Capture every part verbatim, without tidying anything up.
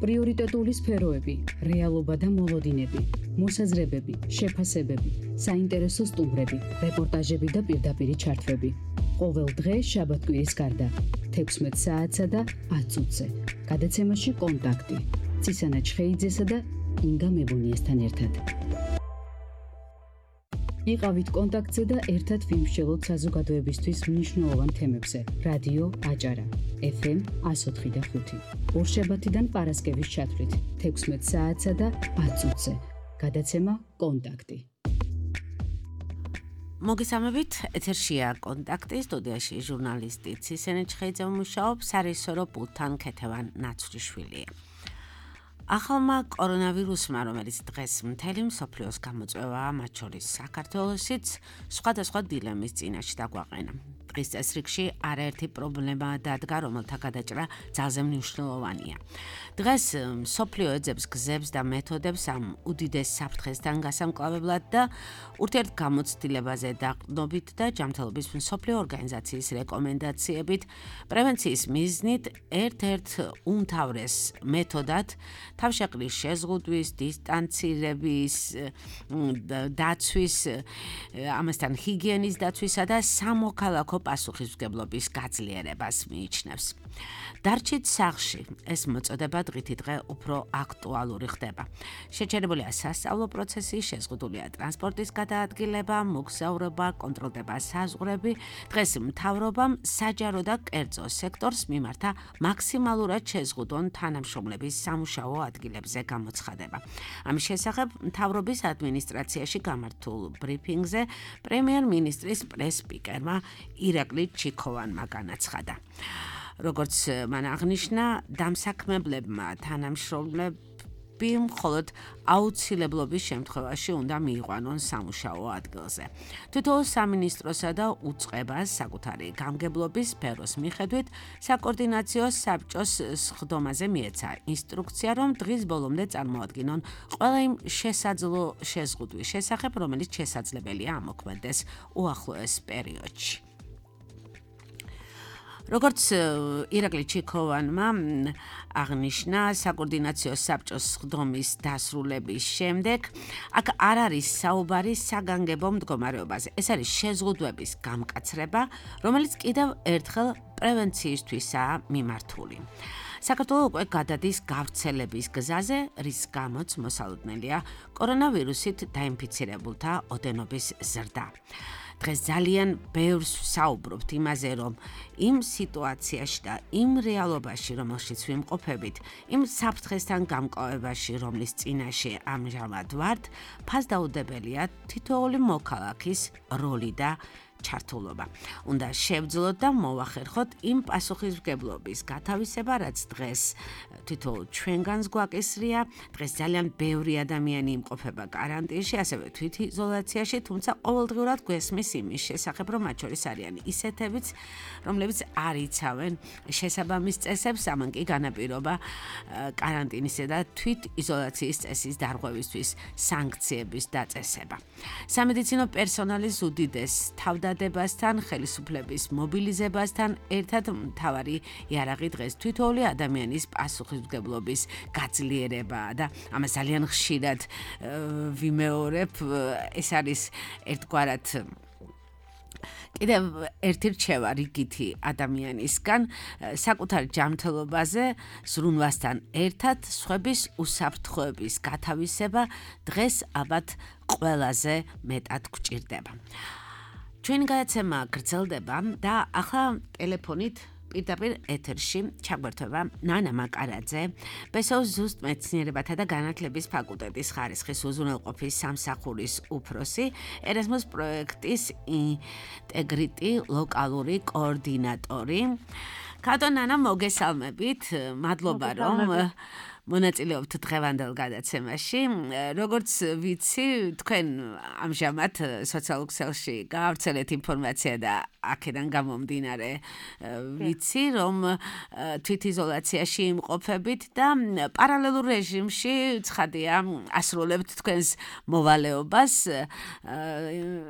პრიორიტეტული სფეროები, რეალობა და მოლოდინები, მოსაზრებები, შეფასებები, საინტერესო სტუმრები, რეპორტაჟები და პირდაპირი ჩართვები. ყოველ დღე შაბათ-კვირის გარდა, თექვსმეტ საათსა და ათ წუთზე. გადაცემაში კონტაქტი. ცისანა ჩხეიძესა და ინგა მებუნიესთან ერთად. იყავით კონტაქტზე და ერთად ვიმსჯელოთ საზოგადოებისთვის მნიშვნელოვან თემებზე. რადიო აჭარა, ეფ ემ εκατო ოთხი და ხუთი. ორშაბათიდან პარასკევის ჩათვლით, თექვსმეტ საათსა და ათ წუთზე. გადაცემა კონტაქტი. მოგესალმებით, ეთერშია კონტაქტი, სტუდიაში ჟურნალისტი ცისანა ჩხეიძე მუშაობს, სარეჟისორო პულტთან ქეთევან ნაცვლიშვილია. ახალმა კორონავირუსმა, რომელიც დღეს მთელი მსოფლიოს გამოწვევაა, მათ შორის საქართველოსიც, სხვადასხვა დილემის წინაშე დაგვაყენა. დღის წესრიგში არაერთი პრობლემა დადგა, რომელთა გადაჭრა ძალზე მნიშვნელოვანია. დღეს მსოფლიო ეძებს გზებს და მეთოდებს ამ უდიდეს საფრთხესთან გასამკლავებლად და ურთიერთგამოცდილებაზე დაყრდნობით და ჯანმრთელობის მსოფლიო ორგანიზაციის რეკომენდაციებით პრევენციის მიზნით ერთ-ერთ უმთავრეს მეთოდად თავშეყრის შეზღუდვის, დისტანცირების, დაცვის, ამასთან ჰიგიენის დაცვისა და სამოქალაქო პასუხისმგებლობის გაძლიერებას მიიჩნევს. დარჩით სახლში, ეს მოწოდება დღითი დღე უფრო აქტუალური ხდება. შეჩერებულია სასწავლო პროცესი, შეზღუდულია ტრანსპორტის გადაადგილება, მოგზაურობა, კონტროლდება საზღვრები. დღეს მთავრობამ საჯარო და კერძო სექტორს მიმართა მაქსიმალურად შეზღუდონ თანამშრომლების სამუშაო ადგილებზე გამოცხადება. ამის შესახებ მთავრობის ადმინისტრაციაში გამართულ ბრიფინგზე პრემიერ-მინისტრის პრეს-სპიკერმა ირაკლი ჩიქოვანმა განაცხადა. როგორც მან აღნიშნა, დამსაქმებლებმა თანამშრომლები მხოლოდ აუცილებლობის შემთხვევაში უნდა მიიყვანონ სამუშაო ადგილზე. თითოეულ სამინისტროსა და უწყებას საკუთარი გამგებლობის სფეროს მიხედვით საკოორდინაციო საბჭოს სხდომაზე მიეცა ინსტრუქცია, რომ დღის ბოლომდე წარმოადგინონ ყველა იმ შესაძლო შეზღუდვის შესახებ, რომელიც შესაძლებელია ამოქმედდეს უახლოეს პერიოდში. როგორც ირაკლი ჩიქოვანმა აღნიშნა, საკოორდინაციო საბჭოს სხდომის დასრულების შემდეგ აქ არ არის საუბარი საგანგებო მდგომარეობაზე. ეს არის შეზღუდვების გამკაცრება, რომელიც კიდევ ერთხელ პრევენციისთვისაა მიმართული. საქართველო უკვე გადადის გავრცელების გზაზე, რის გამოც მოსალოდნელია კორონავირუსით დაინფიცირებულთა ოდენობის ზრდა. დღეს ძალიან ბევრს ვსაუბრობთ იმაზე, რომ იმ სიტუაციაში და იმ რეალობაში, რომელშიც ვიმყოფებით, იმ საფრთხესთან გამკლავებაში, რომლის წინაშე ამჟამად ვართ, ფასდაუდებელია თითოეული მოქალაქის როლი და ჩართულობა. უნდა შევძლოთ და მოვახერხოთ იმ პასუხისმგებლობის გათავისება, რაც დღეს თითოეულ ჩვენგანს გვაკისრია. დღეს ძალიან ბევრი ადამიანი იმყოფება კარანტინში, ასევე თვითიზოლაციაში, თუმცა ყოველდღიურად გვესმის იმის შესახებ, რომ მათ შორის არიან ისეთებიც, რომლებიც არ იცავენ შესაბამის წესებს, ამან კი განაპირობა კარანტინისა და თვითიზოლაციის წესის დარღვევისთვის სანქციების დაწესება. სამედიცინო პერსონალის უდიდეს თავდა დებასთან, ხელისუფლების მობილიზებასთან ერთად მთავარი იარაღი დღეს თითოეული ადამიანის პასუხისმგებლობის გაძლიერებაა და ამას ძალიან ხშირად ვიმეორებ. ეს არის ერთგვარად კიდევ ერთი რჩევა რიგითი ადამიანისგან საკუთარ ჯანმრთელობაზე ზრუნვასთან ერთად სხვების უსაფრთხოების გათავისება დღეს ალბათ ყველაზე მეტად გვჭირდება. ჩვენი გადაცემა გრძელდება და ახლა ტელეფონით პირდაპირ ეთერში ჩაგვერთვება ნანა მაკარაძე, ბესოუს ზუსტ მეცნიერებათა და განათლების ფაკულტეტის ხარისხის უზრუნველყოფის სამსახურის უფროსი, ერასმუს პროექტის ინტეგრიტი ლოკალური კოორდინატორი. კატო ნანა, მოგესალმებით, მადლობა რომ მონაწილეობთ დღევანდელ გადაცემაში. როგორც ვიცი, თქვენ ამჟამად სოციალურ ქსელში გაავრცელეთ ინფორმაცია და აქედან გამომდინარე ვიცი, რომ თვითიზოლაციაში იმყოფებით და პარალელურ რეჟიმში ცხადია ასრულებთ თქვენს მოვალეობას,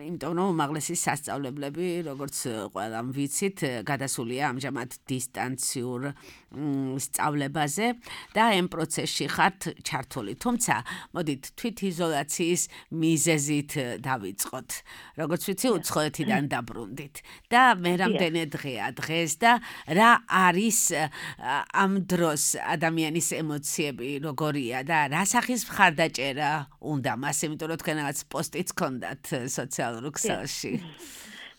იმიტომ რომ უმაღლესი სასწავლებლები, როგორც ყველამ ვიცით, გადასულია ამჟამად დისტანციურ სწავლებაზე და ამ პროცესში ხართ ჩართული. თუმცა, მოდით თვითიზოლაციის მიზეზით დავიწყოთ. როგორც ვიცი, უცხოეთიდან დაბრუნდით და მე რამდენი დღეა დღეს და რა არის ამ დროს ადამიანის ემოციები როგორია და რა სახის მხარდაჭერა უნდა მას, იმიტომ რომ თქვენ რაღაც პოსტიც გქონდათ სოციალურ ქსელში.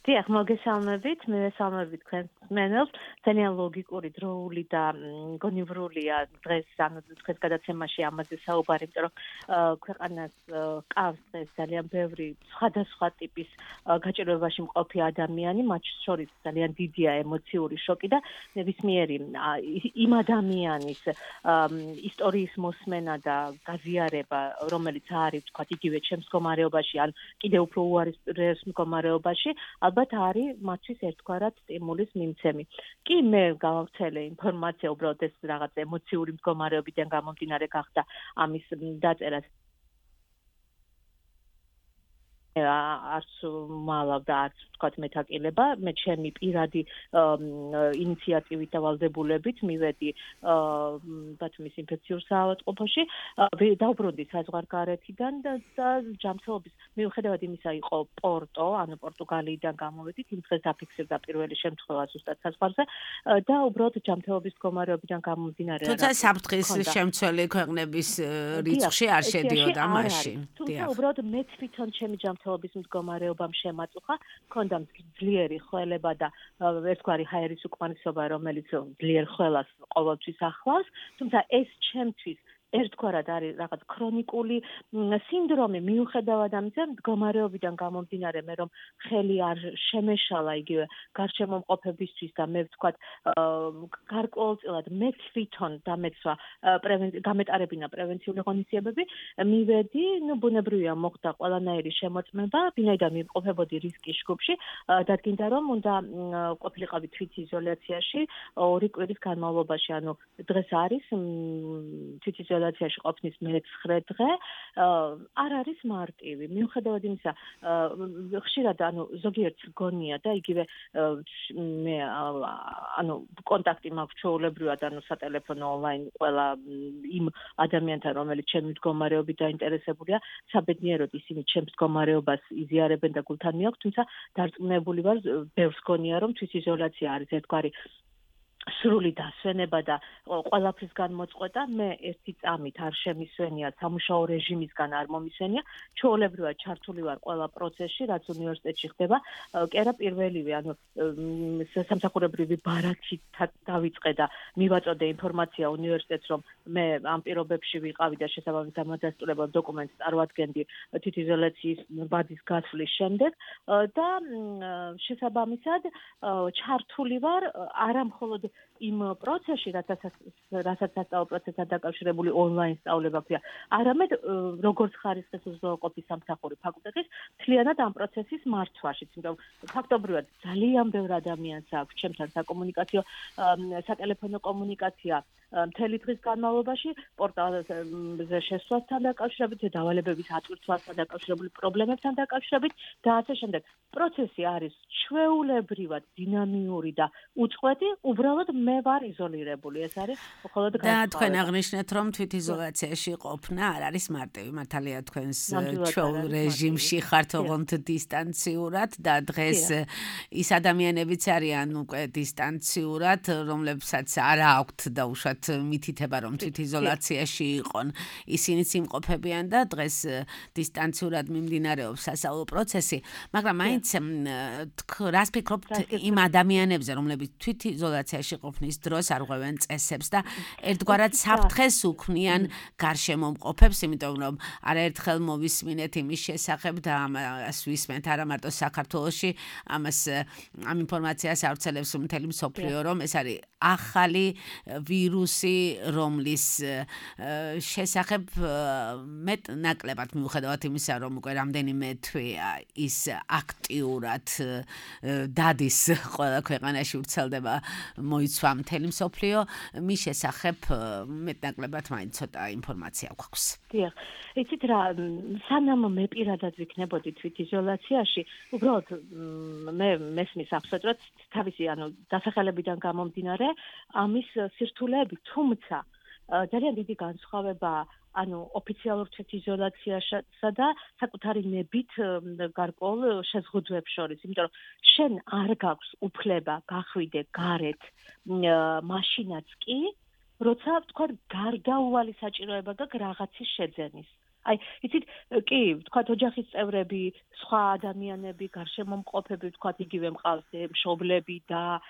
დიახ, მოგესალმებით, მივესალმებით თქვენს მსმენელს. ძალიან ლოგიკური, დროული და გონივრულია დღეს, ანუ დღეს გადაცემაში ამაზე საუბარი, იმიტომ რომ ქვეყანას ყავს დღეს ძალიან ბევრი სხვადასხვა ტიპის გაჭირვებაში მყოფი ადამიანი, მათ შორის ძალიან დიდია ემოციური შოკი და ნებისმიერი იმ ადამიანის ისტორიის მოსმენა და გაზიარება, რომელიც არის, თქვა, იგივე ჩემს მდგომარეობაში, ან კიდევ უფრო უარეს მდგომარეობაში, ალბათ არის მათთვის ერთგვარად სტიმულის მიმცემი. კი მე გავავრცელე ინფორმაცია, უბრალოდ ეს რაღაც ემოციური მდგომარეობიდან გამომდინარე გახდა ამის დაწერას. არც მალავ და არც ვთქვათ მეთაკილება, მე ჩემი პირადი ინიციატივით და ვალდებულებით მივედი ბათუმის ინფექციურ საავადმყოფოში, დავბრუნდი საზღვარგარეთიდან და ჯანმრთელობის მიუხედავად იმისა იყო პორტო, ანუ პორტუგალიიდან გამოვედით, იმ დღეს დაფიქსირდა პირველი შემთხვევა ზუსტად საზღვარზე და უბრალოდ ჯანმრთელობის მდგომარეობიდან გამომდინარე. თუმცა საფრთხის შემცველი ქვეყნების რიცხვში არ შედიოდა მაშინ. თუმცა უბრალოდ მე თვითონ ჩემი ჯანმრთელობის მდგომარეობამ შემაწუხა, მქონდა ძლიერი ხველება და ერთგვარი ჰაერის უკმარისობა, რომელიც ძლიერ ხველას ყოველთვის ახლავს, თუმცა ეს ჩემთვის ერთგვარად არის რაღაც ქრონიკული სინდრომი, მიუხედავად ამისა, მდგომარეობიდან გამომდინარე, მე რომ ხელი არ შემეშალა იგივე გარშემო მყოფებისთვის და მე ვთქვათ, გარკვეულწილად მე თვითონ დამეცვა გამეტარებინა პრევენციული ღონისძიებები, მივედი, ნუ ბუნებრივია მოხდა ყველანაირი შემოწმება, ვინაიდან მიმყოფებოდი რისკის ჯგუფში, დადგინდა რომ უნდა ყოფილიყავი თვითიზოლაციაში ორი კვირის განმავლობაში, ანუ დღეს არის თვითიზოლაციაში იზოლაციაში ყოფნის მეცხრე დღე არ არის მარტივი. მიუხედავად იმისა, ხშირად ანუ ზოგიერთ გონია და იგივე მე ანუ კონტაქტი მაქვს ჩვეულებრივად, ანუ სატელეფონო ონლაინ ყველა იმ ადამიანთან, რომელიც ჩემი მდგომარეობით დაინტერესებულია, საბედნიეროდ ისინი ჩემს მდგომარეობას იზიარებენ და გულთან მიაქვს, თუმცა დარწმუნებული ვარ, ბევრს გონია, რომ თვითიზოლაცია არის ერთგვარი სრული დასვენება და ყველაფრის განმოწყვეტა. მე ერთი წამით არ შემისვენია, სამუშაო რეჟიმისგან არ მომისვენია, ჩვეულებრივად ჩართული ვარ ყველა პროცესში, რაც უნივერსიტეტში ხდება. კი არა პირველივე, ანუ სამსახურებრივი ბარათი დავიწყე და მივაწოდე ინფორმაცია უნივერსიტეტს, რომ მე ამ პირობებში ვიყავი და შესაბამის დამადასტურებელ დოკუმენტს წარვადგენდი თვითიზოლაციის ბადის გასვლის შემდეგ და შესაბამისად ჩართული ვარ არა მხოლოდ იმ პროცესში, რასაც სასწავლო პროცესთან დაკავშირებული ონლაინ სწავლება ქვია, არამედ როგორც ხარისხის უზრუნველყოფის სამსახური ფაკულტეტის, მთლიანად ამ პროცესის მართვაშიც, იმიტომ ფაქტობრივად ძალიან ბევრ ადამიანს აქვს ჩემთან საკომუნიკაციო, სატელეფონო კომუნიკაცია მთელი დღის განმავლობაში, პორტალზე შესვლასთან დაკავშირებით, დავალებების აწვრთნასთან დაკავშირებული პრობლემებთან დაკავშირებით და ასე შემდეგ. პროცესი არის ჩვეულებრივად დინამიური და უწყვეტი, უბრალოდ მე ვარ იზოლირებული, ეს არის მხოლოდ და თქვენ აღნიშნეთ, რომ თვითიზოლაციაში ყოფნა არ არის მარტივი, მართალია თქვენს ჩვეულ რეჟიმში ხართ ოღონდ დისტანციურად და დღეს ის ადამიანებიც არიან უკვე დისტანციურად, რომლებსაც არ აქვთ დაუშვათ მითითება, რომ თვითიზოლაციაში იყონ, ისინიც იმყოფებიან და დღეს დისტანციურად მიმდინარეობს სასწავლო პროცესი, მაგრამ მაინც რას ფიქრობთ იმ ადამიანებზე, რომლებიც თვითიზოლაციაში ყოფნის დროს არღვევენ წესებს და ერთგვარად საფრთხეს უქმნიან გარშემო მყოფებს, იმიტომ რომ არაერთხელ მოვისმინეთ იმის შესახებ და ამას ვისმენთ არა მარტო საქართველოში, ამას ამ ინფორმაციას ავრცელებს მთელი მსოფლიო, რომ ეს არის ახალი ვირუსი, რომლის შესახებ მეტ ნაკლებად მიუხედავად იმისა, რომ უკვე რამდენიმე თვეა ის აქტიურად დადის ყველა ქვეყანაში ვრცელდება მოიცვა მთელი მსოფლიო, მის შესახებ მეტნაკლებად მაინც ცოტა ინფორმაცია გვაქვს. დიახ, იცით რა, სანამ მე პირადად ვიქნებოდი თვითიზოლაციაში, უბრალოდ მე მესმის აბსოლუტურად თავისი, ანუ დასახელებიდან გამომდინარე, ამის სირთულეები, თუმცა ძალიან დიდი განსხვავებაა ანუ ოფიციალურ თვითიზოლაციასა და საკუთარი ნებით გარკვეულ შეზღუდვებს შორის, იმიტომ რომ შენ არ გაქვს უფლება გახვიდე გარეთ მაშინაც კი, როცა თქვა გარდაუვალი საჭიროება გაქვს რაღაცის შეძენის. აი, იცით, კი, თქვა ოჯახის წევრები, სხვა ადამიანები, გარშემომყოფები, თქვა იგივე მყავს მშობლები და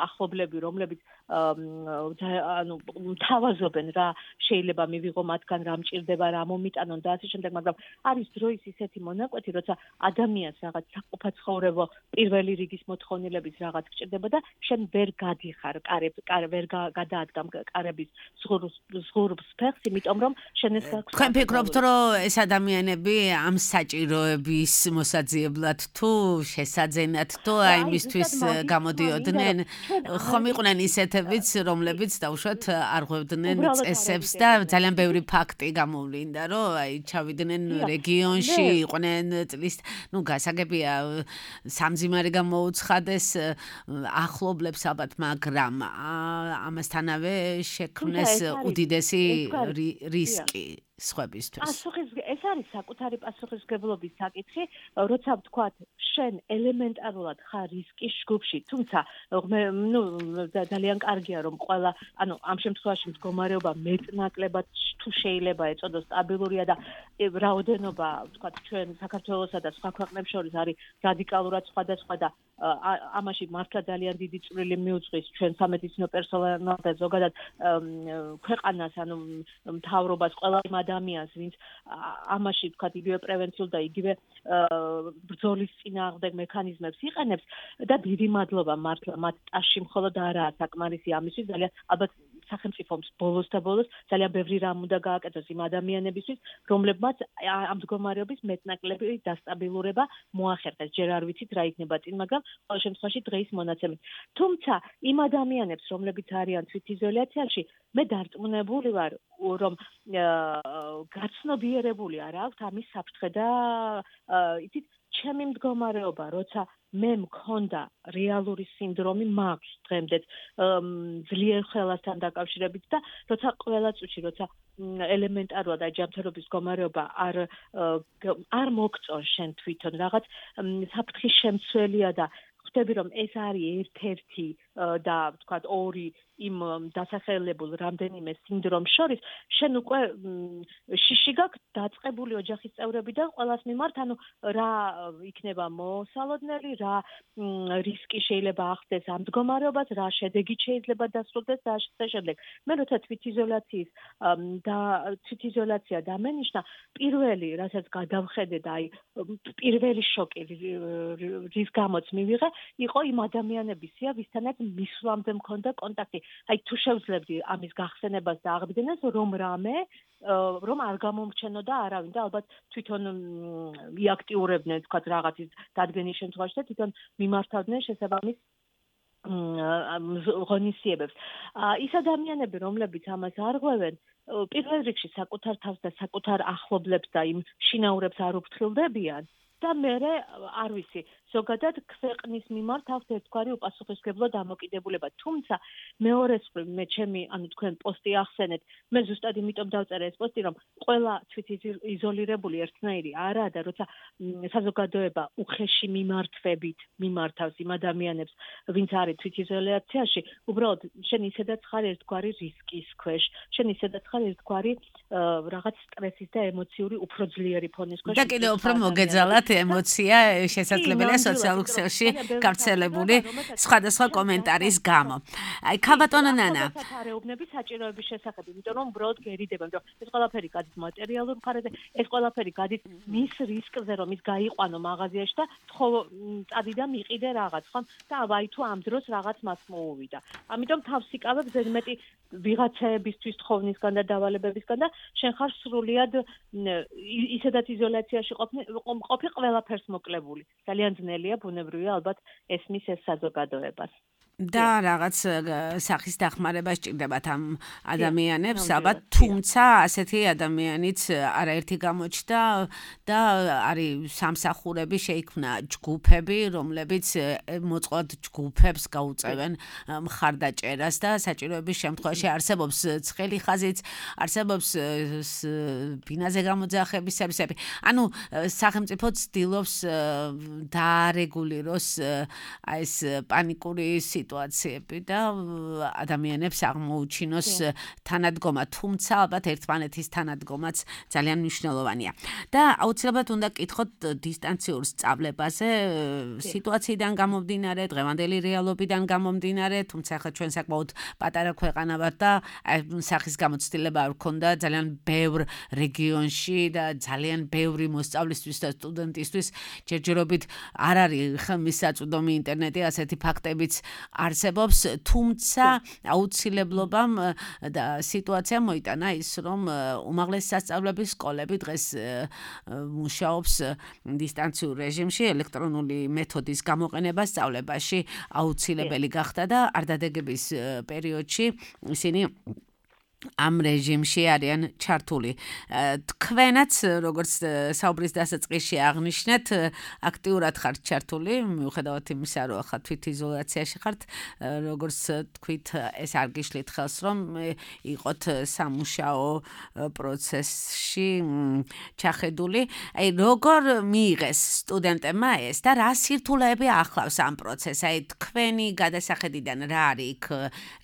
ახლობლები, რომლებიც ანუ თავაზობენ რა შეიძლება მივიღო მათგან რა მჭირდება, რა მომიტანონ და ასე შემდეგ, მაგრამ არის დროის ისეთი მონაკვეთი, როცა ადამიანს რაღაც საყოფაცხოვრებო პირველი რიგის მოთხოვნილების რაღაც გჭირდება და შენ ვერ გადიხარ კარებს, ვერ გადაადგამ კარების ზღურბს ფეხს, იმიტომ რომ შენ ეს გაქვს. თქვენ ფიქრობთ, რომ ეს ადამიანები ამ საჭიროების მოსაძიებლად თუ შესაძენად თუ აი მისთვის გამოდიოდნენ, ხომ იყვნენ ისეთებიც, რომლებიც დაუშვათ არ ღვევდნენ წესებს და ძალიან ბევრი ფაქტი გამოვლინდა, რომ აი ჩავიდნენ რეგიონში, იყვნენ წლის, ნუ გასაგებია სამძიმარი გამოუცხადეს ახლობლებს ალბათ, მაგრამ ამასთანავე შექმნეს უდიდესი რისკი სხვებისთვის. პასუხის ეს არის საკუთარი პასუხისმგებლობის საკითხი, როცა ვთქვათ, შენ ელემენტარულად ხარ რისკის ჯგუფში, თუმცა ნუ ძალიან კარგია რომ ყველა, ანუ ამ შემთხვევაში მდგომარეობა მეტნაკლებად თუ შეიძლება ეწოდოს სტაბილურია და რაოდენობა, ვთქვათ, ჩვენ საქართველოსა და სხვა ქვეყნებს შორის არის რადიკალურად სხვადასხვა და ამაში მართლა ძალიან დიდი წვლილი მიუძღვის ჩვენ სამედიცინო პერსონალს და ზოგადად ქვეყანას, ანუ მთავრობას, ყველა იმ ადამიანს, ვინც ამაში ვთქვათ იგივე პრევენციულ და იგივე ბრძოლის წინააღმდეგ მექანიზმებს იყენებს და დიდი მადლობა მართლა მათ ტაში მხოლოდ არაა საკმარისი ამისთვის, ძალიან ალბათ სახელმწიფოს ბოლოს და ბოლოს ძალიან ბევრი რამ უნდა გააკეთოს იმ ადამიანებისთვის, რომლებმაც ამ მდგომარეობის მეტნაკლები დასტაბილურება მოახერხეს. ჯერ არ ვიცით რა იქნება წინ, მაგრამ ყოველ შემთხვევაში დღეის მონაცემით. თუმცა იმ ადამიანებს, რომლებიც არიან თვითიზოლაციაში, მე დარწმუნებული ვარ, რომ გაცნობიერებული არ აქვს ამის საფრთხე და იცით, ჩემი მდგომარეობა, როცა მე მქონდა რეალური სინდრომი, მაქვს დღემდეც ძლიერ ხელასთან დაკავშირებით და როცა ყველა წუთში, როცა ელემენტარულად აი ჯანმრთელობის მდგომარეობა არ არ მოგწონ შენ თვითონ რაღაც საფრთხის შემცველია და ხვდები რომ ეს არის ერთ-ერთი და ვთქვათ ორი იმ დასახელებულ რამდენიმე სინდრომს შორის, შენ უკვე შიში გაქვს დაწყებული ოჯახის წევრებიდან ყველას მიმართ, ანუ რა იქნება მოსალოდნელი, რა რისკი შეიძლება ახდენს ამ მდგომარეობას, რა შედეგით შეიძლება დასრულდეს და ასე შემდეგ. მე როცა თვითიზოლაციის და თვითიზოლაცია დამენიშნა, პირველი, რასაც გადავხედე და აი პირველი შოკი რის გამოც მივიღე, იყო იმ ადამიანებისია, ვისთანაც მისვლამდე მქონდა კონტაქტი. აი თუ შევძლებდი ამის გახსენებას და აღდგენას, რომ რამე რომ არ გამომრჩენოდა არავინ და ალბათ თვითონ იაქტიურებდნენ თქვათ რაღაცის დადგენის შემთხვევაში და თვითონ მიმართავდნენ შესაბამის ღონისძიებებს. ის ადამიანები, რომლებიც ამას არ ღვევენ, პირველ რიგში საკუთარ თავს და საკუთარ ახლობლებს და იმ შინაურებს არ უფრთხილდებიან და მერე არ ვიცი, ზოგადად ქვეყნის მიმართ აქვს ერთგვარი უპასუხისმგებლო დამოკიდებულება. თუმცა მეორეს მხრივ მე ჩემი, ანუ თქვენ პოსტი ახსენეთ, მე ზუსტად იმიტომ დავწერე ეს პოსტი, რომ ყველა თვითიზოლირებული ერთნაირი არაა და როცა საზოგადოება უხეში მიმართვებით მიმართავს იმ ადამიანებს, ვინც არის თვითიზოლაციაში, უბრალოდ შენ ისედაც ხარ ერთგვარი რისკის ქვეშ, შენ ისედაც ხარ ერთგვარი რაღაც სტრესის და ემოციური უფრო ძლიერი ფონის ქვეშ. და კიდევ უფრო მოგეძალათ ემოცია შესაძლებელია სოციალურ ქსელში გავრცელებული სხვადასხვა კომენტარის გამო. აი ქაბატონო ნანა, საარეობნების საჭიროების შესახებ, იმიტომ რომ უბრალოდ გერიდება, იმიტომ რომ ეს ყველაფერი გადის მატერიალურ მხარეზე, ეს ყველაფერი გადის მის რისკზე, რომ ის გაიყვანო მაღაზიაში და თხო წადი და მიყიდე რაღაც, ხო? და აი თუ ამ დროს რაღაც მას მოუვიდა. ამიტომ თავს იკავებ ზედმეტი ვიღაცაებისთვის თხოვნისგან და დავალებებისგან და შენ ხარ სრულიად ისედაც იზოლაციაში ყოფი ყველაფერს მოკლებული. ძალიან ძნელია, ბუნებრივია, ალბათ ესმის ეს საზოგადოებას. და რაღაც სახის დახმარება სჭირდებათ ამ ადამიანებს, ალბათ, თუმცა ასეთი ადამიანიც არაერთი გამოჩნდა და არის სამსახურები, შეიქმნა ჯგუფები, რომლებიც მოწყვლად ჯგუფებს გაუწევენ მხარდაჭერას და საჭიროების შემთხვევაში არსებობს ცხელი ხაზიც, არსებობს ბინაზე გამოძახების სერვისები. ანუ სახელმწიფო ცდილობს დაარეგულიროს აი ეს პანიკური სიტუაციები და ადამიანებს აღმოუჩინოს თანადგომა, თუმცა ალბათ ერთმანეთის თანადგომაც ძალიან მნიშვნელოვანია. და აუცილებლად უნდა კითხოთ დისტანციურ სწავლებაზე, სიტუაციიდან გამომდინარე, დღევანდელი რეალობიდან გამომდინარე, თუმცა ახლა ჩვენ საკმაოდ პატარა ქვეყანა ვართ და სახის გამოცდილება არ გქონდა ძალიან ბევრ რეგიონში და ძალიან ბევრი მოსწავლისთვის და სტუდენტისთვის ჯერჯერობით არ არის ხელმისაწვდომი ინტერნეტი, ასეთი ფაქტებიც არსებობს, თუმცა აუცილებლობამ და სიტუაცია მოიტანა ის, რომ უმაღლესი სასწავლებელი სკოლები დღეს მუშაობს დისტანციურ რეჟიმში, ელექტრონული მეთოდის გამოყენება სწავლებაში აუცილებელი გახდა და არდადეგების პერიოდში ისინი ამ რეჟიმში არიან ჩართული. თქვენაც, როგორც საუბრის დასაწყისში აღნიშნეთ, აქტიურად ხართ ჩართული, მიუხედავად იმისა, რომ ახლა თვითიზოლაციაში ხართ, როგორც თქვით, ეს არ გიშლით ხელს, რომ იყოთ სამუშაო პროცესში ჩახედული. აი, როგორ მიიღეს სტუდენტებმა ეს და რა სირთულეები ახლავს ამ პროცესს? აი, თქვენი გადასახედიდან რა არის იქ,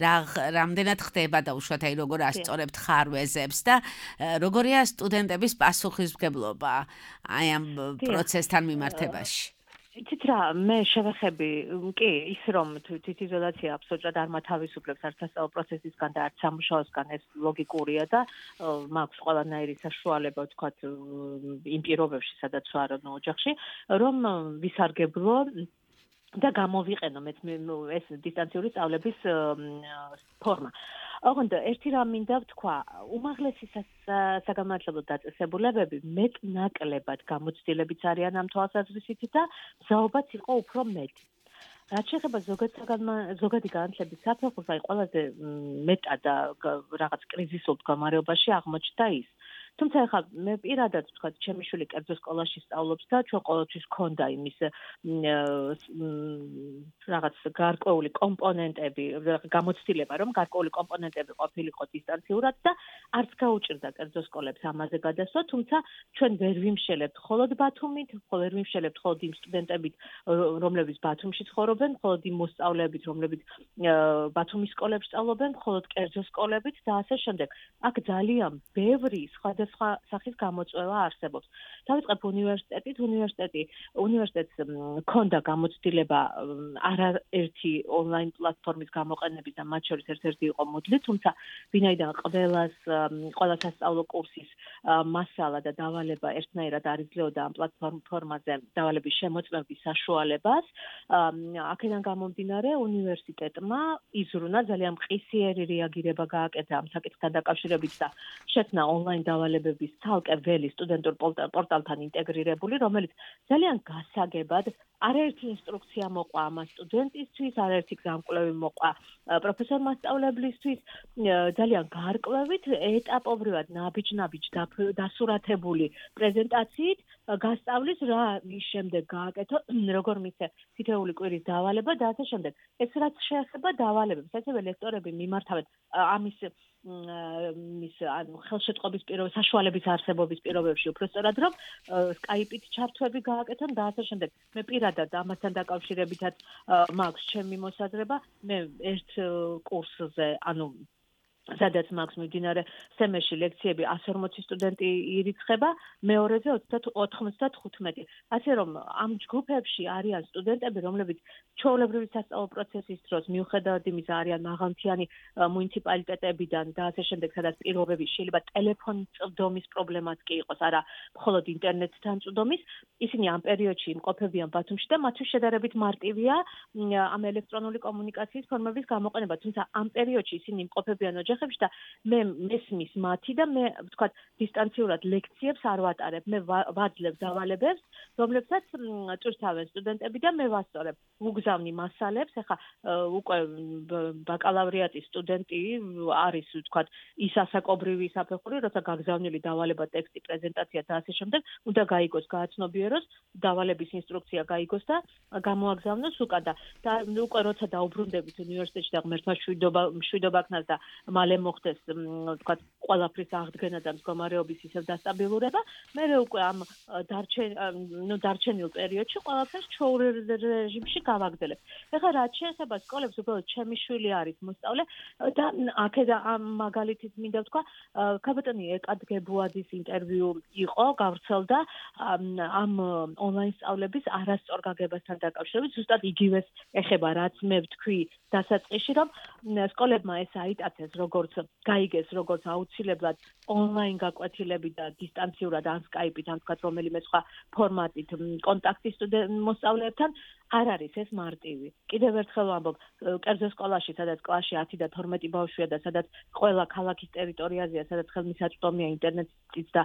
რა რამდენად ხდება დაუშვათ, აი, როგორ ასწორებთ ხარვეზებს და როგორია სტუდენტების პასუხისმგებლობა აი ამ პროცესთან მიმართებაში? იცით რა, მე შევეხები, კი, ის რომ თვითიზოლაცია აბსოლუტურად არ მათავისუფლებს არც სასწავლო პროცესისგან და არც სამუშაოსგან, ეს ლოგიკურია და მაქვს ყველანაირი საშუალება, ვთქვათ, იმ პირობებში, სადაც ვარ ოჯახში, რომ ვისარგებლო და გამოვიყენო მეც ეს დისტანციური სწავლების ფორმა. ოღონდ ერთი რამ მინდა ვთქვა, უმაღლესი საგანმანათლებლო დაწესებულებები მეტ-ნაკლებად გამოცდილებიც არიან ამ თვალსაზრისით და მზაობაც იყო უფრო მეტი. რაც შეეხება ზოგადი განათლების საფეხურს, აი ყველაზე მეტად და რაღაც კრიზისულ მდგომარეობაში აღმოჩნდა ის. თუმცა ახლა მე პირადად ვთქვა, ჩემი შვილი კერძო სკოლაში სწავლობს და ჩვენ ყოველთვის ჰქონდა იმის რაღაც გარკვეული კომპონენტები, გამოცდილება, რომ გარკვეული კომპონენტები ყოფილიყო დისტანციურად და არც გაუჭირდა კერძო სკოლებს ამაზე გადასვლა, თუმცა ჩვენ ვერ ვიმშელებთ მხოლოდ ბათუმით, ვერ ვიმშელებთ მხოლოდ იმ სტუდენტებით, რომლებიც ბათუმში ცხოვრობენ, მხოლოდ იმ მოსწავლეებით, რომლებიც ბათუმის სკოლებში სწავლობენ, მხოლოდ კერძო სკოლებით და ასე შემდეგ. აქ ძალიან ბევრი სხვა სხვა სახის გამოწვევა არსებობს. დავიწყებ უნივერსიტეტით, უნივერსიტეტი უნივერსიტეტს ჰქონდა გამოცდილება არაერთი ონლაინ პლატფორმის გამოყენების და მათ შორის ერთ-ერთი იყო Moodle, თუმცა ვინაიდან ყველას ყველა სასწავლო კურსის მასალა და დავალება ერთნაირად არ იძლეოდა ამ პლატფორმაზე დავალების შემოწმების საშუალებას, აქედან გამომდინარე უნივერსიტეტმა იზრუნა ძალიან მყისიერი რეაგირება გააკეთა ამ საკითხთან დაკავშირებით და შექმნა ონლაინ დავალებების ცალკე ველი სტუდენტურ პორტალთან ინტეგრირებული, რომელიც ძალიან გასაგებად არაერთი ინსტრუქცია მოყვა ამ სტუდენტისთვის, არაერთი გზამკვლევი მოყვა პროფესორ მასწავლებლისთვის, ძალიან გარკვევით, ეტაპობრივად ნაბიჯ-ნაბიჯ დასურათებული პრეზენტაციით გასწავლის რა ის შემდეგ გააკეთო, როგორ მისცე თითოეული კვირის დავალება და ასე შემდეგ. ეს რაც შეეხება დავალებებს, ასევე ლექტორები მიმართავენ ამის მის ანუ ხელშეწყობის პირობებში, საშუალების არსებობის პირობებში უბრალოდ რომ Skype-ით ჩართვები გააკეთონ და ასე შემდეგ. მე პირადად ამასთან დაკავშირებითაც მაქვს ჩემი მოსაზრება, მე ერთ კურსზე, ანუ სადაც მაქვს მიმდინარე სემესტრში ლექციები εκατს ორმოცი სტუდენტი ირიცხება, მეორეზე ოცდათხუთმეტი. ასე რომ ამ ჯგუფებში არიან სტუდენტები, რომლებიც ჩვეულებრივი სასწავლო პროცესის დროს მიუხედავად იმისა არიან მაღალმთიანი მუნიციპალიტეტებიდან და ასე შემდეგ, სადაც პირობები შეიძლება ტელეფონით წვდომის პრობლემაც კი იყოს, არა მხოლოდ ინტერნეტთან წვდომის, ისინი ამ პერიოდში იმყოფებიან ბათუმში და მათთვის შედარებით მარტივია ამ ელექტრონული კომუნიკაციის ფორმების გამოყენება, თუმცა ამ პერიოდში ისინი იმყოფებიან ოჯახებში და მე მესმის მათი და მე ვთქვათ დისტანციურად ლექციებს არ ვატარებ. მე ვაძლევ დავალებებს, რომლებსაც წვრთავენ სტუდენტები და მე ვასწორებ. ვუგზავნი მასალებს, ეხლა უკვე ბაკალავრიატის სტუდენტი არის, ვთქვათ, ის ასაკობრივი საფეხური, როცა გაგზავნილი დავალება, ტექსტი, პრეზენტაცია და ასე შემდეგ, უნდა გაიგოს, გააცნობიეროს, დავალების ინსტრუქცია გაიგოს და გამოაგზავნოს უკან და უკვე როცა დაუბრუნდებით უნივერსიტეტში და ღმერთმა მშვიდობა მშვიდობა ქნას და მალე მოხდეს, ვთქვათ, ყველაფრის აღდგენა და მდგომარეობის ისევ დასტაბილურება, მე უკვე ამ დარჩენ ნუ დარჩენილ პერიოდში ყველაფერს ჩვეულ რეჟიმში გავაგრძელებ. ეხლა რაც შეეხება სკოლებს, უბრალოდ ჩემი შვილი არის მოსწავლე და აქედან ამ მაგალითით მინდა ვთქვა, ქაბატონი ეკად გებუაძის ინტერვიუ იყო, გავრცელდა ამ ონლაინ სწავლების არასწორ გაგებასთან დაკავშირებით, ზუსტად იგივეს ეხება, რაც მე ვთქვი დასაწყისში, რომ სკოლებმა ეს აიტაცეს, როგორც გაიგეს, როგორც აუცილებლად ონლაინ გაკვეთილები და დისტანციურად ან სკაიპით, ან თქვათ რომელიმე სხვა ფორმატით კონტაქტი მოსწავლეებთან არ არის ეს მარტივი. კიდევ ერთხელ ვამბობ, კერძო სკოლაში, სადაც კლასში ათი და თორმეტი ბავშვია და სადაც ყველა ქალაქის ტერიტორიაზეა, სადაც ხელმისაწვდომია ინტერნეტიც და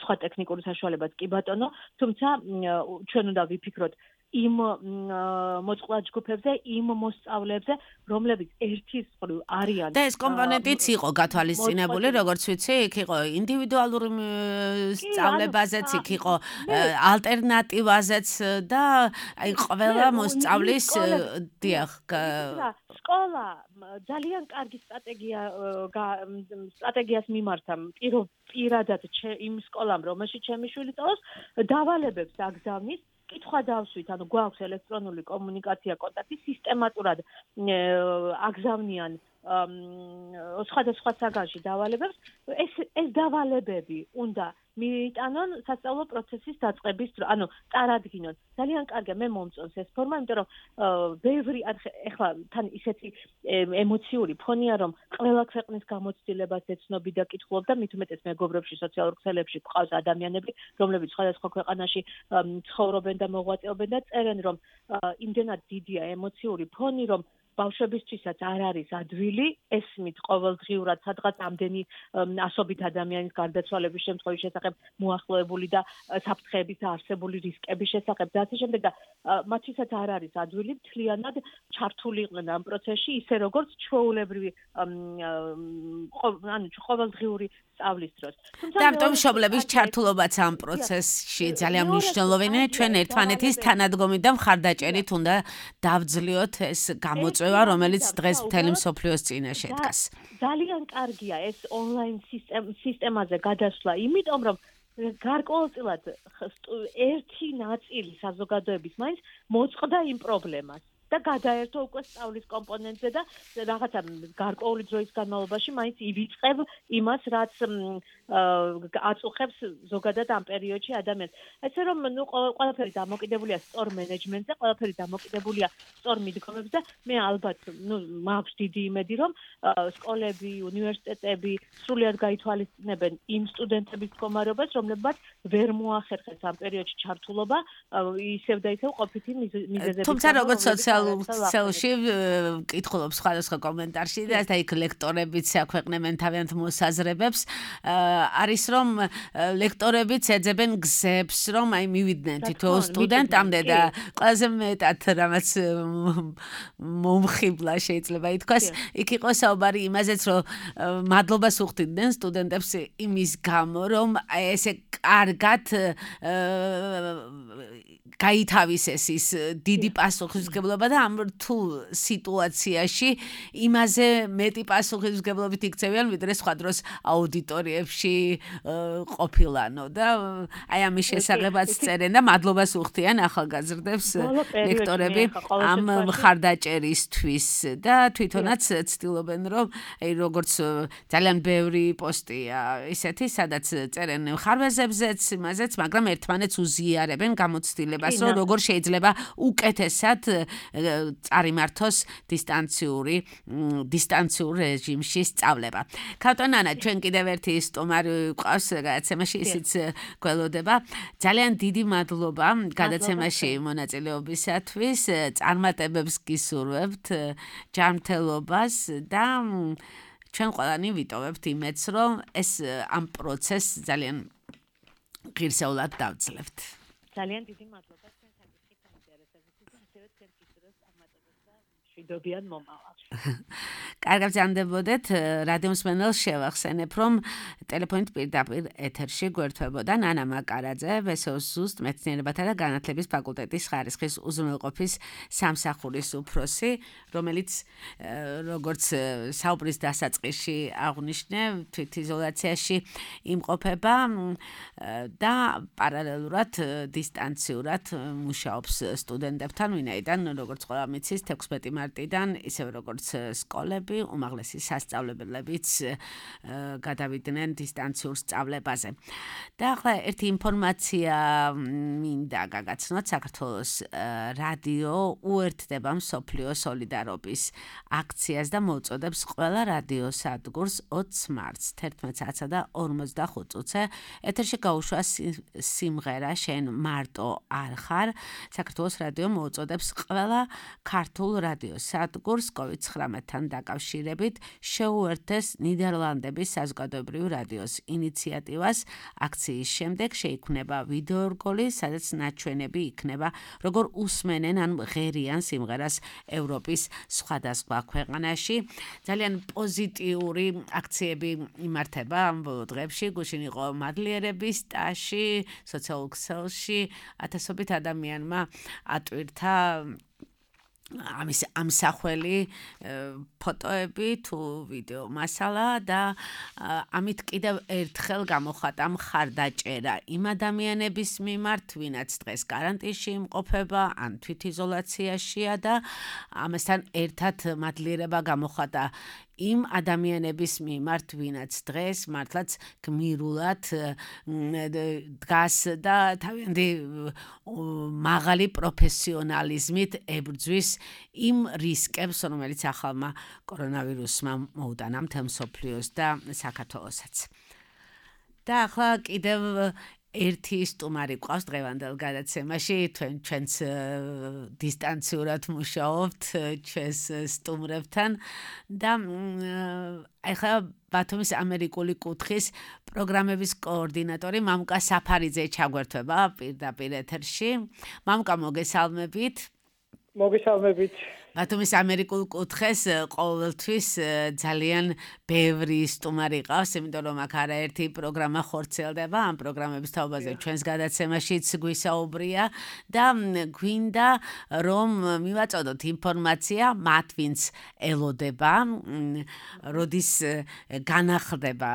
სხვა ტექნიკური საშუალებაც კი ბატონო, თუმცა ჩვენ უნდა ვიფიქროთ იმ მოწყვლად ჯგუფებზე, იმ მოსწავლეებზე, რომლებიც ერთის მხრივ არიან. და ეს კომპონენტიც იყო გათვალისწინებული, როგორც ვიცი, იქ იყო ინდივიდუალური სწავლებაზეც, იქ იყო ალტერნატივაზეც და აი ყველა მოსწავლის დიახ სკოლა ძალიან კარგი სტრატეგია სტრატეგიას მიმართა პირადად იმ სკოლამ, რომელშიც ჩემი შვილი სწავლობს, დავალებებს აგზავნის. კითხვა დავსვით, ანუ გვაქვს ელექტრონული კომუნიკაცია, კონტაქტი სისტემატურად აგზავნიან სხვადასხვა საგანში დავალებებს. ეს ეს დავალებები უნდა მიიტანონ სასწავლო პროცესის დაწყების დრო, ანუ წარადგინონ. ძალიან კარგია, მე მომწონს ეს ფორმა, იმიტომ რომ ბევრი ეხლა თან ისეთი ემოციური ფონია, რომ ყველა ქვეყნის გამოცდილებას ეცნობი და კითხულობ და მით უმეტეს მეგობრებში, სოციალურ ქსელებში გვყავს ადამიანები, რომლებიც სხვადასხვა ქვეყანაში ცხოვრობენ და მოღვაწეობენ და წერენ, რომ იმდენად დიდია ემოციური ფონი, რომ ბავშვებისთვისაც არ არის ადვილი, ესმით ყოველდღიურად სადღაც ამდენი ასობით ადამიანის გარდაცვალების შემთხვევის შესახებ მოახლოებული და საფრთხეების არსებული რისკების შესახებ და ასე შემდეგ და მათთვისაც არ არის ადვილი მთლიანად ჩართული იყვნენ ამ პროცესში, ისე როგორც ჩვეულებრივი ანუ ყოველდღიური სწავლის დროს. და ამიტომ მშობლების ჩართულობაც ამ პროცესში ძალიან მნიშვნელოვანია. ჩვენ ერთმანეთის თანადგომით და მხარდაჭერით უნდა დავძლიოთ ეს გამოწვევა, რომელიც დღეს მთელი მსოფლიოს წინაშე დგას. ძალიან კარგია ეს ონლაინ სისტემაზე გადასვლა, იმიტომ რომ გარკვეულწილად ერთი ნაწილი საზოგადოების მაინც მოწყდა იმ პრობლემას. და გადაერთო უკვე სწავლის კომპონენტზე და რაღაცა გარკვეული დროის განმავლობაში მაინც ივიწყებ იმას, რაც აწუხებს ზოგადად ამ პერიოდში ადამიანს. ესე რომ ნუ ყველაფერი დამოკიდებულია სწორ მენეჯმენტზე, ყველაფერი დამოკიდებულია სწორ მიდგომებზე და მე ალბათ ნუ მაქვს დიდი იმედი, რომ სკოლები, უნივერსიტეტები სრულად გაითვალისწინებენ იმ სტუდენტების მდგომარეობას, რომლებმაც ვერ მოახერხეს ამ პერიოდში ჩართულობა ისევ და ისევ ყოფითი მიზეზებით. თუმცა როგორც სოციალურში კითხულობს სხვადასხვა კომენტარში და და იქ ლექტორებიც აქვეყნებენ თავიანთ მოსაზრებებს, არის რომ ლექტორებიც ეძებენ გზებს, რომ აი მივიდნენ თითოეულ სტუდენტამდე და ყველაზე მეტად რამაც მომხიბლა შეიძლება ითქვას, იქ იყო საუბარი იმაზეც, რომ მადლობას უხდიდნენ სტუდენტებს იმის გამო, რომ ესე კარგად გაითავისეს ის დიდი პასუხისმგებლობა და ამ რთულ სიტუაციაში იმაზე მეტი პასუხისმგებლობით იქცევიან, ვიდრე სხვა დროს აუდიტორიებში ყოფილანო და აი ამის შესახებაც წერენ და მადლობას უხდიან ახალგაზრდებს ლექტორები ამ მხარდაჭერისთვის და თვითონაც ცდილობენ, რომ აი როგორც ძალიან ბევრი პოსტია ისეთი, სადაც წერენ ხარვეზებზეც, იმაზეც, მაგრამ ერთმანეთს უზიარებენ გამოცდილებას, რომ როგორ შეიძლება უკეთესად წარიმართოს დისტანციური დისტანციურ რეჟიმში სწავლება. ქავტონანა, ჩვენ კიდევ ერთი სტუმარი გვყავს გადაცემაში, ისიც გველოდება. ძალიან დიდი მადლობა გადაცემაში მონაწილეობისათვის. წარმატებებს გისურვებთ, ჯანმრთელობას და ჩვენ ყველანი ვიტოვებთ იმედს, რომ ეს ამ პროცესს ძალიან ღირსეულად დავძლევთ. ძალიან დიდი მადლობა თქვენ საკითხით ინტერესებისთვის და ასევე თქვენ ფიქრობთ ამატებებს და მშვიდობიან მომავალში. კარგად ზანდებოდეთ, რადიო მსმენელს შევახსენებ, რომ ტელეფონით პირდაპირ ეთერში გვერდთვებოდა ნანა მაკარაძე, ბესოს ზუსტ მეცნიერებათა და განათლების ფაკულტეტის ხარისხის უზრუნველყოფის სამსახურის უფროსი, რომელიც როგორც საუბრის დასაწყისში აღვნიშნე, თვითიზოლაციაში იმყოფება და პარალელურად დისტანციურად მუშაობს სტუდენტებთან, ვინაიდან როგორც ყველა მიცის თექვსმეტი მარტიდან, ისევე როგორც სკოლები, უმაღლესი სასწავლებლებიც გადავიდნენ დისტანციურ სწავლებაზე. და ახლა ერთი ინფორმაცია მინდა გაგაცნოთ, საქართველოს რადიო უერთდება მსოფლიო სოლიდარობის აქციას და მოუწოდებს ყველა რადიო სადგურს ოცს მარტს თერთმეტ საათსა და ორმოცდახუთ წუთზე ეთერში გაუშვა სიმღერა შენ მარტო არ ხარ. საქართველოს რადიო მოუწოდებს ყველა ქართულ რადიო სადგურს კოვიდ ცხრამეტთან დაკავშირებით შეუერთდეს ნიდერლანდების საზოგადოებრივი რადიოს ინიციატივას. აქციის შემდეგ შეიქმნება ვიდეორგოლი, სადაც ნაჩვენები იქნება, როგორ უსმენენ ან ღერიან სიმღერას ევროპის სხვადასხვა ქვეყანაში. ძალიან პოზიტიური აქციები იმართება ამ ბოლო დღეებში. გუშინ იყო მადლიერების ტაში, სოციალურ ქსელში ათასობით ადამიანმა ატვირთა ამის ამსახველი ფოტოები თუ ვიდეო მასალა და ამით კიდევ ერთხელ გამოხატა მხარდაჭერა იმ ადამიანების მიმართ, ვინაც დღეს კარანტინში იმყოფება ან თვითიზოლაციაშია და ამასთან ერთად მადლიერება გამოხატა იმ ადამიანების მიმართ, ვინაც დღეს მართლაც გმირულად დგას და თავიანთი მაღალი პროფესიონალიზმით ებრძვის იმ რისკებს, რომელიც ახალმა კორონავირუსმა მოუტანა მთელ მსოფლიოს და საქართველოსაც. და ახლა კიდევ ერთი სტუმარი გვყავს დღევანდელ გადაცემაში, თქვენ ჩვენც დისტანციურად მუშაობთ ჩვენს სტუმრებთან და ახლა ბათუმის ამერიკული კუთხის პროგრამების კოორდინატორი მამუკა საფარიძე ჩაგვერთვება პირდაპირ ეთერში. მამუკა, მოგესალმებით. მოგესალმებით. ბათუმის ამერიკულ კუთხეს ყოველთვის ძალიან ბევრი სტუმარი ყავს, იმიტომ რომ აქ არაერთი პროგრამა ხორციელდება, ამ პროგრამების თაობაზე ჩვენს გადაცემაშიც გვისაუბრია და გვინდა რომ მივაწოდოთ ინფორმაცია მათ, ვინც ელოდება, როდის განახლდება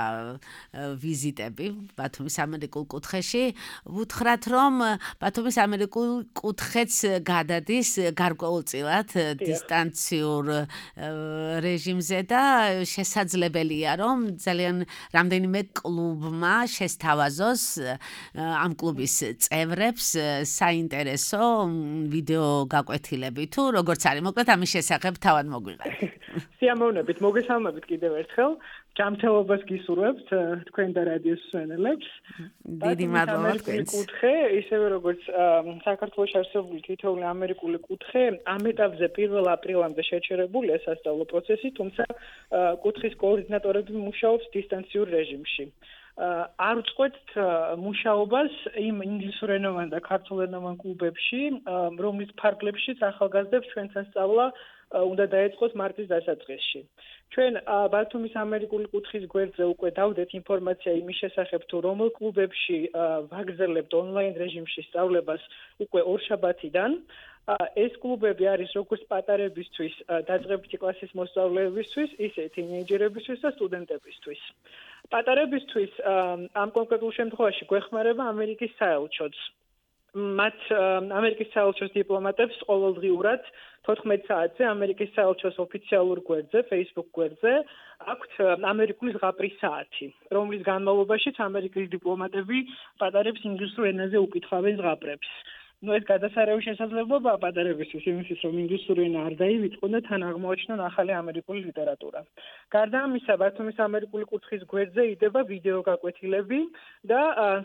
ვიზიტები ბათუმის ამერიკულ კუთხეში. ვუთხრათ რომ ბათუმის ამერიკულ კუთხეც გადადის გარკვეულწილად დისტანციურ რეჟიმზე და შესაძლებელია რომ ძალიან რამდენიმე კლუბმა შესთავაზოს ამ კლუბის წევრებს საინტერესო ვიდეო გაკვეთილები თუ როგორც არის, მოკლედ ამის შესახებ თავად მოგვიყევით. სიამოვნებით, მოგესალმებით კიდევ ერთხელ. ჯანმრთელობას გისურვებთ თქვენ და რადიოს მსმენელებს. დიდი მადლობა თქვენს. კუთხე, ისევე როგორც საქართველოს არსებული თითოეული ამერიკული კუთხე, ამ ეტაპზე პირველ აპრილამდე შეჩერებულია სასწავლო პროცესი, თუმცა კუთხის კოორდინატორები მუშაობს დისტანციურ რეჟიმში. არ უწყვეტთ მუშაობას იმ ინგლისურენოვან და ქართულენოვან კლუბებში, რომლის ფარგლებშიც ახალგაზრდებს ჩვენთან სწავლა უნდა დაეწყოს მარტის დასაწყისში. ჩვენ ბათუმის ამერიკული კუთხის გვერდზე უკვე დავდეთ ინფორმაცია იმის შესახებ, თუ რომელ კლუბებში ვაგრძელებთ ონლაინ რეჟიმში სწავლებას უკვე ორშაბათიდან. ეს კლუბები არის როგორც პატარებისთვის, დაწყებითი კლასის მოსწავლეებისთვის, ისე თინეიჯერებისთვის და სტუდენტებისთვის. პატარებისთვის ამ კონკრეტულ შემთხვევაში გვეხმარება ამერიკის საელჩოც. მათ ამერიკის საელჩოს დიპლომატებს ყოველდღიურად თოთხმეტ საათზე ამერიკის საელჩოს ოფიციალურ გვერდზე, Facebook გვერდზე აქვთ ამერიკული ზღაპრის საათი, რომლის განმავლობაშიც ამერიკის დიპლომატები პატარებს ინგლისურ ენაზე უკითხავენ ზღაპრებს. ნუ ეს გადასარევი შესაძლებლობაა პატარებისთვის იმისთვის, რომ ინგლისური ენა არ დაივიწყონ და თან აღმოაჩინონ ახალი ამერიკული ლიტერატურა. გარდა ამისა, ბათუმის ამერიკული კუთხის გვერდზე იდება ვიდეო გაკვეთილები და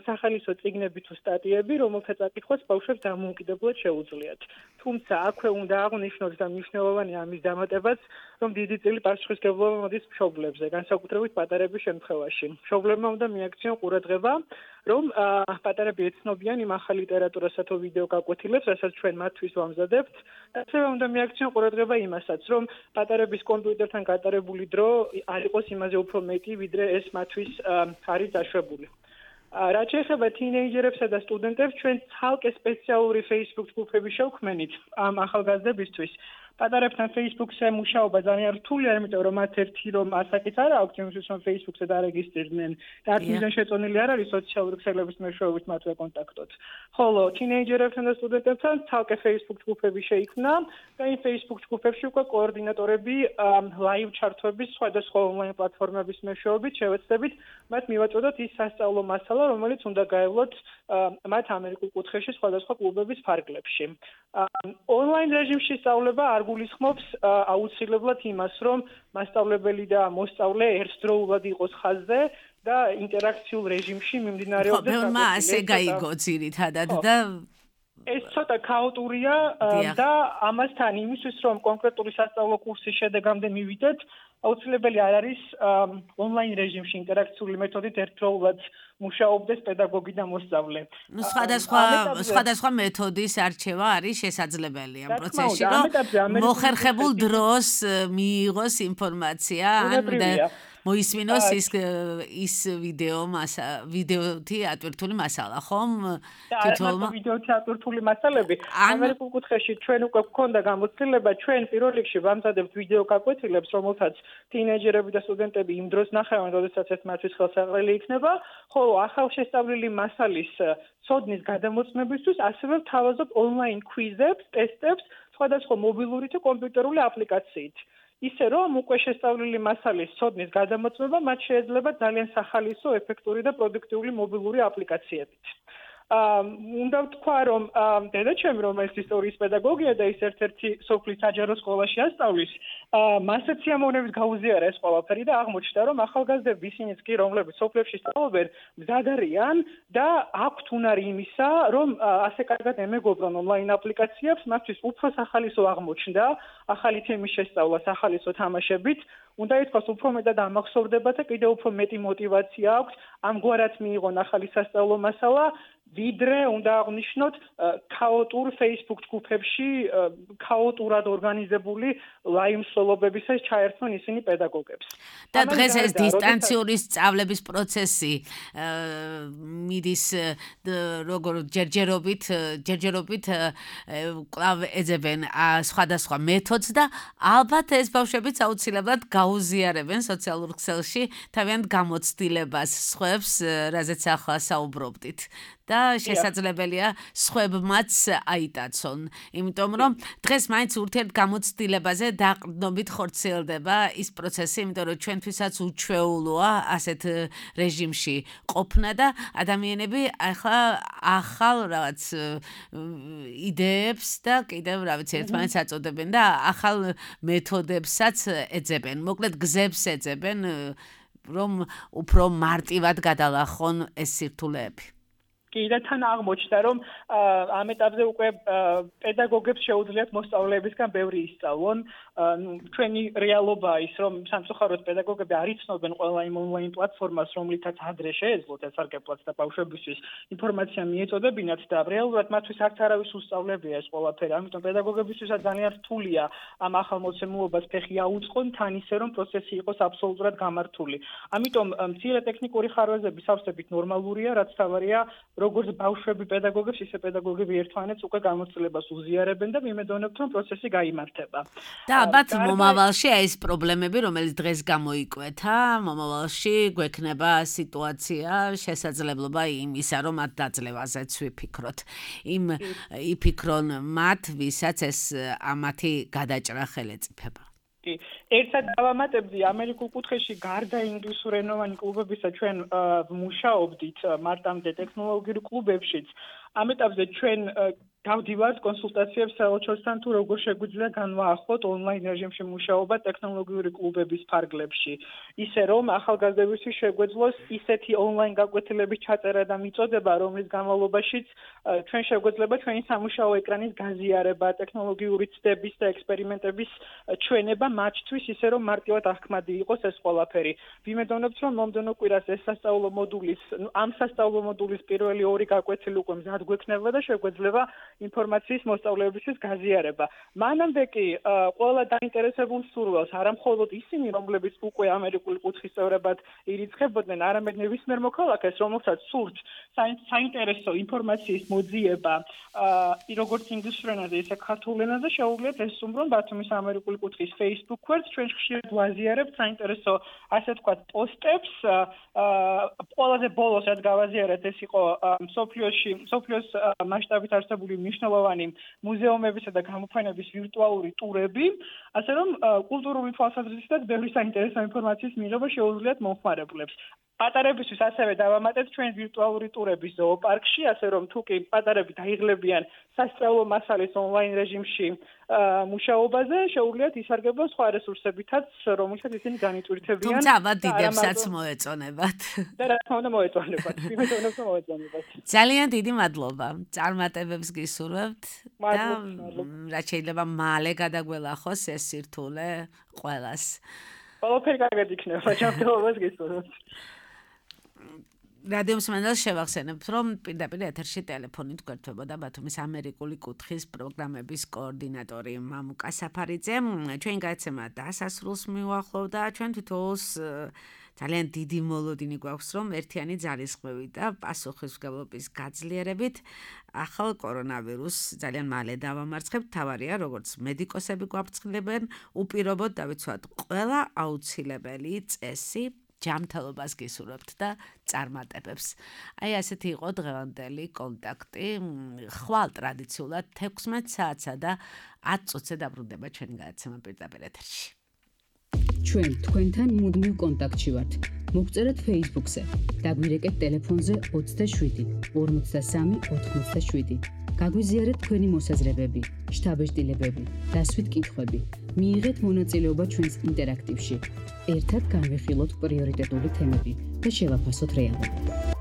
სახალისო წიგნები თუ სტატიები, რომელთა წაკითხვაც ბავშვებს დამოუკიდებლად შეუძლიათ. თუმცა აქვე უნდა აღვნიშნოთ და მნიშვნელოვანი ამის დამატებაც, რომ დიდი წილი პასუხისმგებლობა მოდის მშობლებზე, განსაკუთრებით პატარების შემთხვევაში. მშობლებმა უნდა მიაქციონ ყურადღება, რომ პატარები ეცნობიან იმ ახალ ლიტერატურასა თუ ვიდეო გაკვეთილებს, რასაც ჩვენ მათთვის ვამზადებთ. ასევე უნდა მიაქციონ ყურადღება იმასაც, რომ პატარების კომპიუტერთან გატარებული დრო არ იყოს იმაზე უფრო მეტი, ვიდრე ეს მათთვის არის დაშვებული. რაც შეეხება თინეიჯერებსა და სტუდენტებს, ჩვენ ცალკე სპეციალური Facebook ჯგუფები შევქმნით ამ ახალგაზრდებისთვის. პატარებთან Facebook-ზე მუშაობა ძალიან რთულია, იმიტომ რომ მათ ერთი რომ ასაკიც არ აქვს, იმისთვის რომ Facebook-ზე დარეგისტრირდნენ და არც მიზან შეწონილი არ არის სოციალური ქსელების მეშვეობით მათზე კონტაქტოთ. ხოლო თინეიჯერებთან და სტუდენტებთან ცალკე Facebook ჯგუფები შეიქმნა და იმ Facebook ჯგუფებში უკვე კოორდინატორები live ჩართვების სხვადასხვა ონლაინ პლატფორმების მეშვეობით შევეცდებით მათ მივაწოდოთ ის სასწავლო მასალა, რომელიც უნდა გაევლოთ მათ ამერიკულ კუთხეში სხვადასხვა კლუბების ფარგლებში. ონლაინ რეჟიმში სწავლება არ გულისხმობს აუცილებლად იმას, რომ მასწავლებელი და მოსწავლე ერთდროულად იყოს ხაზზე და ინტერაქციულ რეჟიმში მიმდინარეობდეს. ხო, მე ასე გაიგო ძირითადად და ეს ცოტა ქაოტურია და ამასთან იმისთვის, რომ კონკრეტული სასწავლო კურსის შედეგამდე მივიდეთ, აუცილებელი არ არის ონლაინ რეჟიმში ინტერაქციული მეთოდით ერთდროულად მუშაობდეს პედაგოგი და მოსწავლე. ნუ სხვადასხვა სხვადასხვა მეთოდის არჩევა არის შესაძლებელი ამ პროცესში, რომ მოხერხებულ დროს მიიღოს ინფორმაცია და მოისმინოს ის ის ვიდეო მასა ვიდეოთი ატვირთული მასალა, ხომ? თითოეულ ვიდეოთი ატვირთული მასალები ამერიკულ კუთხეში ჩვენ უკვე გვქონდა გამოცდილება, ჩვენ პირველ რიგში ვამზადებთ ვიდეო გაკვეთილებს, რომელთაც თინეიჯერები და სტუდენტები იმ დროს ნახავენ, როდესაც ეს მათთვის ხელსაყრელი იქნება, ხოლო ახალშესწავლილი მასალის ცოდნის გადამოწმებისთვის ასევე ვთავაზობ ონლაინ კვიზებს, ტესტებს, სხვადასხვა მობილური თუ კომპიუტერული აპლიკაციით. ისე რომ უკვე შესწავლილი მასალის ცოდნის გადამოწმება მათ შეიძლება ძალიან სახალისო, ეფექტური და პროდუქტიული მობილური აპლიკაციებით. უნდა ვთქვა, რომ დედაჩემი, რომელიც ისტორიის პედაგოგია და ის ერთ-ერთი სოფლის საჯარო სკოლაში ასწავლის, მასეც სიამოვნებით გაუზიარა ეს ყველაფერი და აღმოჩნდა, რომ ახალგაზრდები ისინიც კი, რომლებიც სოფლებში სწავლობენ, მზად არიან და აქვთ უნარი იმისა, რომ ასე კარგად ემეგობრონ ონლაინ აპლიკაციებს, მათთვის უფრო სახალისო აღმოჩნდა, ახალი თემის შესწავლა სახალისო თამაშებით, უნდა ითქვას, უფრო მეტად ამახსოვრდება და კიდევ უფრო მეტი мотиваცია აქვს ამგვარად მიიღონ ახალი სასწავლო მასალა, ვიდრე უნდა აღნიშნოთ ქაოტურ Facebook ჯგუფებში ქაოტურად ორგანიზებული live მსვლელობებისას ჩაერთვენ ისინი პედაგოგებს. და დღეს ეს დისტანციური სწავლების პროცესი მიდის როგორ ჯერჯერობით ჯერჯერობით კვლავ ეძებენ სხვადასხვა მეთოდს და ალბათ ეს ბავშვებიც აუცილებლად გაუზიარებენ სოციალურ ქსელში თავიანთ გამოცდილებას სხვებს, რაზეც ახლა საუბრობდით. და შესაძლებელია სხვებმაც აიტაცონ, იმიტომ რომ დღეს მაინც ურთიერთ გამოცდილებაზე დაყრდნობით ხორციელდება ის პროცესი, იმიტომ რომ ჩვენთვისაც უჩვეულოა ასეთ რეჟიმში ყოფნა და ადამიანები ახლა ახალ რაღაც იდეებს და კიდევ რა ვიცი ერთმანეთს აწოდებენ და ახალ მეთოდებსაც ეძებენ, მოკლედ გზებს ეძებენ, რომ უფრო მარტივად გადალახონ ეს სირთულეები. და თან აღმოჩნდა, რომ ამ ეტაპზე უკვე პედაგოგებს შეუძლიათ მოსწავლეებისგან ბევრი ისწავლონ. ჩვენი რეალობაა ის, რომ სამწუხაროდ პედაგოგები არ იცნობენ ყველა იმ ონლაინ პლატფორმას, რომლითაც ადრე შეეძლოთ ესარგებლოთ და ბავშვებისთვის ინფორმაცია მიეწოდებინათ და რეალურად მათთვის არც არავის უსწავლებია ეს ყველაფერი. ამიტომ პედაგოგებისთვისაც ძალიან რთულია ამ ახალ მოცემულობას ფეხი აუწყონ, თან ისე რომ პროცესი იყოს აბსოლუტურად გამართული. ამიტომ მცირე ტექნიკური ხარვეზები სავსებით ნორმალურია, რაც თავარია როგორც ბავშვები პედაგოგებს, ისე პედაგოგები ერთმანეთს უკვე გამოცდილებას უზიარებენ და მიმედოვნებთ, რომ პროცესი გაიმართება. და ალბათ მომავალში ეს პრობლემები, რომელიც დღეს გამოიკვეთა, მომავალში გვექნება სიტუაცია, შესაძლებლობა იმისა, რომ მათ დაძლევაზეც ვიფიქროთ. იმ იფიქრონ მათ, ვისაც ეს ამათი გადაჭრა ხელეწიფება. ერთად დავამატებდი ამერიკულ კუთხეში გარდა ინგლისურენოვანი კლუბებისა ჩვენ მუშაობდით მარტამდე ტექნოლოგიურ კლუბებშიც. ამ ეტაპზე ჩვენ დავდივართ კონსულტაციებს საელჩოსთან თუ როგორ შეგვიძლია განვაახლოთ ონლაინ რეჟიმში მუშაობა ტექნოლოგიური კლუბების ფარგლებში. ისე რომ ახალგაზრდებისთვის შეგვეძლოს ისეთი ონლაინ გაკვეთილების ჩაწერა და მიწოდება, რომლის განმავლობაშიც ჩვენ შეგვეძლება ჩვენი სამუშაო ეკრანის გაზიარება, ტექნოლოგიური ცდების და ექსპერიმენტების ჩვენება მათთვის, ისე რომ მარტივად აღქმადი იყოს ეს ყველაფერი. ვიმედოვნებთ, რომ მომდევნო კვირას ეს სასწავლო მოდულის, ამ სასწავლო მოდულის პირველი ორი გაკვეთილი უკვე მზად გვექნება და შეგვეძლება ინფორმაციის მოსწავლეებისთვის გაზიარება. მანამდე კი ყველა დაინტერესებულ სურვილს, არა მხოლოდ ისინი, რომლებიც უკვე ამერიკული კუთხის წევრებად ირიცხებოდნენ, არამედ ნებისმიერ მოქალაქეს, რომელსაც სურთ საინტერესო ინფორმაციის მოძიება, როგორც ინგლისურ ენაზე, ისე ქართულ ენაზე, შეუძლიათ ესწუმრონ ბათუმის ამერიკული კუთხის Facebook გვერდს, ჩვენ ხშირად ვაზიარებთ საინტერესო, ასე ვთქვათ, პოსტებს. ყველაზე ბოლოს რაც გავაზიარეთ, ეს იყო მსოფლიოში, მსოფლიოს მასშტაბით არსებული მნიშვნელოვანი მუზეუმებისა და გამოფენების ვირტუალური ტურები, ასე რომ კულტურული თვალსაზრისითაც ბევრი საინტერესო ინფორმაციის მიღება შეუძლიათ მომხმარებლებს. პატარებისთვის ასევე დავამატეთ ჩვენ ვირტუალური ტურები ზოოპარკში, ასე რომ თუ კი პატარები დაიღლებიან სასწავლო მასალის ონლაინ რეჟიმში მუშაობაზე, შეუძლიათ ისარგებლონ სხვა რესურსებითაც, რომელსაც ისინი განიტვირთებიან. თუმცა ამა დიდებსაც მოეწონებათ. და რა თქმა უნდა მოეწონებათ. ვიმეწონებ რომ მოეწონებათ. ძალიან დიდი მადლობა. წარმატებებს გისურვებთ და რაც შეიძლება მალე გადაგველახოს ეს სირთულე ყველას. ყველაფერი კარგად იქნება, ჯანმრთელობას გისურვებთ. რადიო მსმენელს შევახსენებთ, რომ პირდაპირ ეთერში ტელეფონით გვერდებოდა ბათუმის ამერიკული კუთხის პროგრამების კოორდინატორი მამუკა საფარიძე. ჩვენ გადაცემა დასასრულს მივახლოვდა, ჩვენ თვითონს ძალიან დიდი მოლოდინი გვაქვს, რომ ერთიანი ძალისხმევით და პასუხისმგებლობის გაძლიერებით ახალ კორონავირუსს ძალიან მალე დავამარცხებთ. თავარია, როგორც მედიკოსები გვაფრთხილებენ, უპირობოდ დავიცვათ ყველა აუცილებელი წესი. ჯანმრთელობას გისურვებთ და წარმატებებს. აი ასეთი იყო დღევანდელი კონტაქტი. ხვალ ტრადიციულად თექვსმეტ საათსა და ათ წუთზე დაბრუნდება ჩვენი გადაცემა პირდაპირ ეთერში. ჩვენ თქვენთან მუდმივ კონტაქტში ვართ. მოგწერეთ Facebook-ზე, დაგვირეკეთ ტელეფონზე ოცდაშვიდი ორმოცდასამი ოთხმოცდაშვიდი. გაგვიზიარეთ თქვენი მოსაზრებები, შთაბეჭდილებები, დასვით კითხვები. მიიღეთ მონაწილეობა ჩვენს ინტერაქტივში. ერთად განვიხილოთ პრიორიტეტული თემები და შევაფასოთ რეალობა.